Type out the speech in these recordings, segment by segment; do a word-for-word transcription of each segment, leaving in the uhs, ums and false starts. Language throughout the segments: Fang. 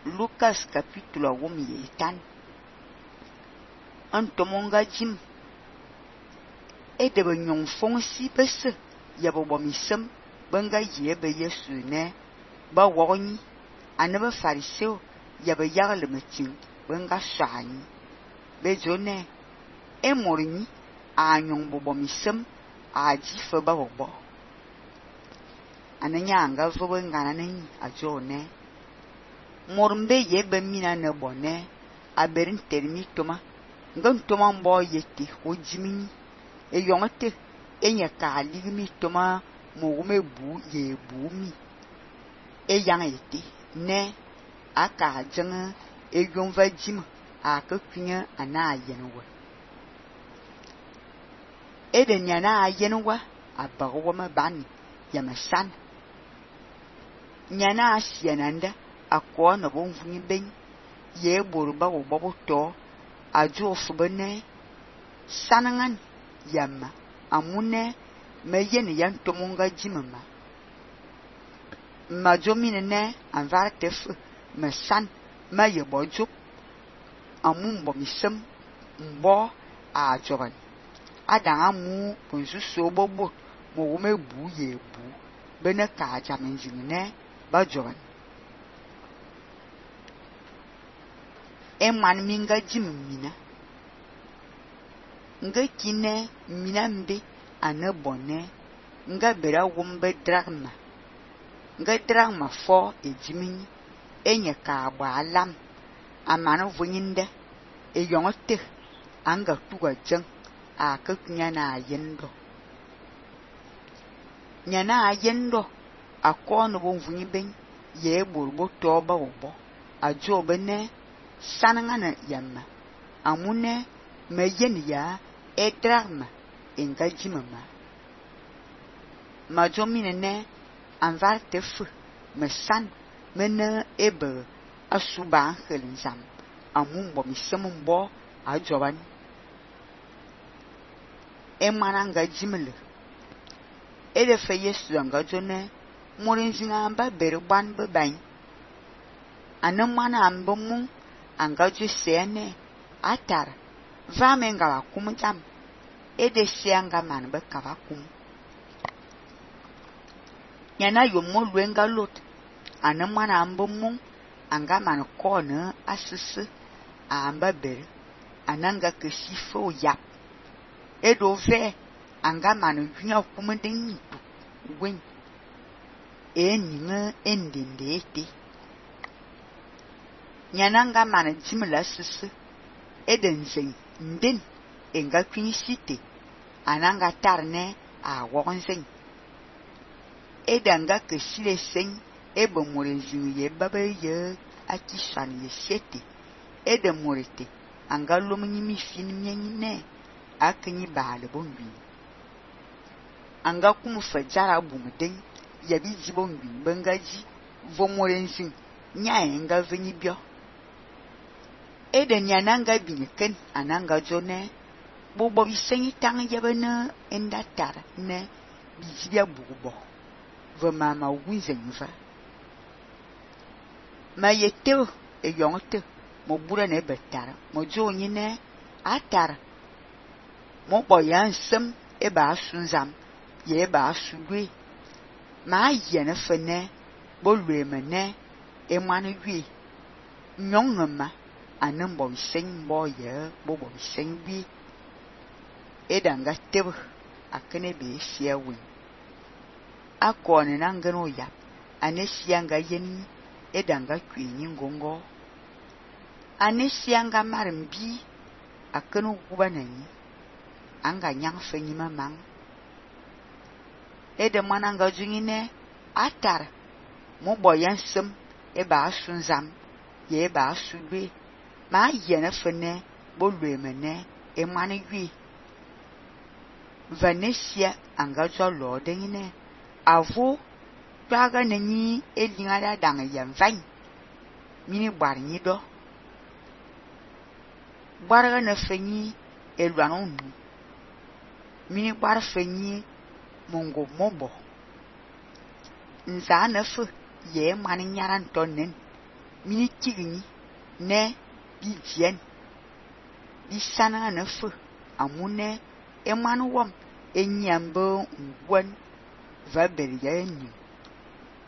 Lucas capítulo wum yetan. Antomonga jim. E de be nyon fong si bese ya bo bomisem benga ye be Yesu ne ba wogni ane be fariseo ya be yagle metin benga shani be jone e morni a nyon bo bomisem a jife ba bo ananya anga vo benga nanani a jone mormbe ye be mina ne bone a berin termi toma ngan toma mbo yeti o jimini e yongete enya ka ligmi toma mo wume bu ye bu mi e yang yeti ne aka jeng e yonva jim a ka kunya ana yenwa e de nyana yenwa abago ma ban ya masan nyana asiananda akwa na bon funyi ben ye boruba wo bobo to ajo fubene sanangan yamma amune meyen yan tomonga jimama majomine ne anvar tef mesan maye bojo amumbo misem mbo a jogan ada amu ponzu so bobo mo wume bu ye bu bene ka jamenjine ba jogan e man minga jimina nga kine minambe ane bone nga bera wumbe dragma nga dragma fo e jimini enye ka ba alam amana vunyinde e yongote anga tuga jeng a ka nyana yendo nyana yendo akono bon vunyiben ye borbo toba obo ajo bene sanangana yamma amune meyen ya e dragma enga jimama majomine ne anvar tefu mesan mena ebe asuba khelinzam amumbo misemumbo ajoban e mananga jimle e de fe Yesu anga jone morinzinga amba berban beban anamana ambomu anga ju sene atar va menga la kumjam e de sianga man be kavakum yana yomo lwenga lot anamana ambomu anga man kona asisi amba ber ananga kesifo yap e do ve anga man yunya kumendin wen e ninga endinde ete nyananga man jimla sisi edenzen ndin enga kwinisite ananga tarne a wogonzen edanga kesile sen ebe morezin ye babe ye akishan ye sete ede morete anga lomni mi fin nyenine akinyi bale bonbi anga kumu fajara bumden yabi jibonbi bangaji vo morezin nya enga veni bio eden yananga binken ananga jone bobo bisenyi tang yabana endatar ne bijibia bugo ve mama wizenva ma yete e yonte mo bura ne betar mo joni ne atar mo boyan sem e ba sunzam ye ba sugwe ma yene fene bolwe mene e manu gwi nyongma anan bo sen bo ye bo bo sen bi edanga teb akene be siawi akone nangano ya anesianga yen edanga kwinyi ngongo anesianga marmbi akeno kubanani anga nyang fenyi mamang ede mananga jungine atar mo boyan sem e ba sunzam ye ba sugbe ma yene fene bolwe mene e manigwi Vanesia anga jo lodengine avo twaga nani elingara danga yamvan mini barnyi do barga na fenyi elwanon mini bar fenyi mongo mobo nza na fu ye mani nyaran tonnen mini tigni ne bi dien bi sana na fu amune e manu wom enyambo ngwan va berya ni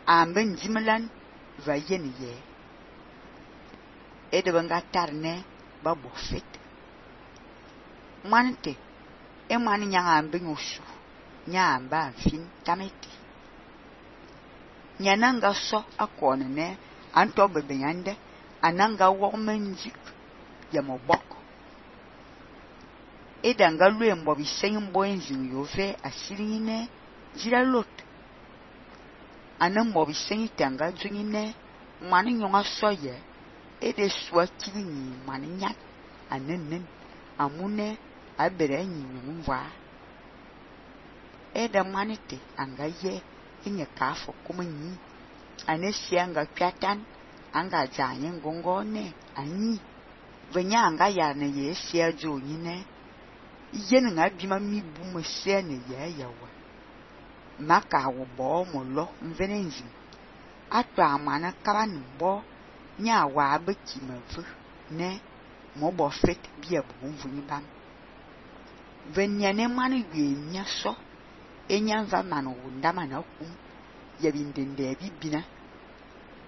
ambe njimlan va yen ye e de banga tarne ba bo fit manite e mani nyanga ambe nyusu nyamba fin tameti nyananga so akone ne anto bebe nyande ananga wogmenji ya moboko edanga lue mbo bisenyi mbo enzin yove asirine jira lot anan mbo bisenyi tanga junine mani nyonga soye ede swa kini mani nyat anennen amune abere nyi nyumva eda manite anga ye inye kafo kumunyi anesi anga kwatan anga janye ngongone anyi venya anga yarne ye sia jo nyine yen nga bima mi bu mose ne ye yawa maka wo bo mo lo mvenenzi atwa amana kaban bo nya wa abeki mavu ne mo bo fit bia bu mvunyi bam venya ne mani gwe nya so enya va manu ndama na kum ya bindende bibina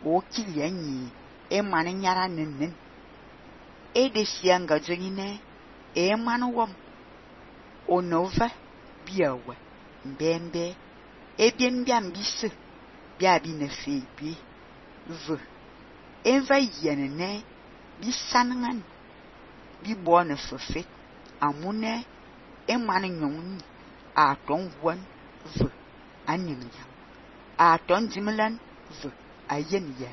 o kili anyi e mani nyara nennen e de sianga jonyine e manu wom onova biawa mbembe e biembiam bise bia bi ne fe bi v enva yenene bi sanangan bi bo ne fefet amune e mani nyoni a ton wan v anim ya a ton jimlan v ayen ya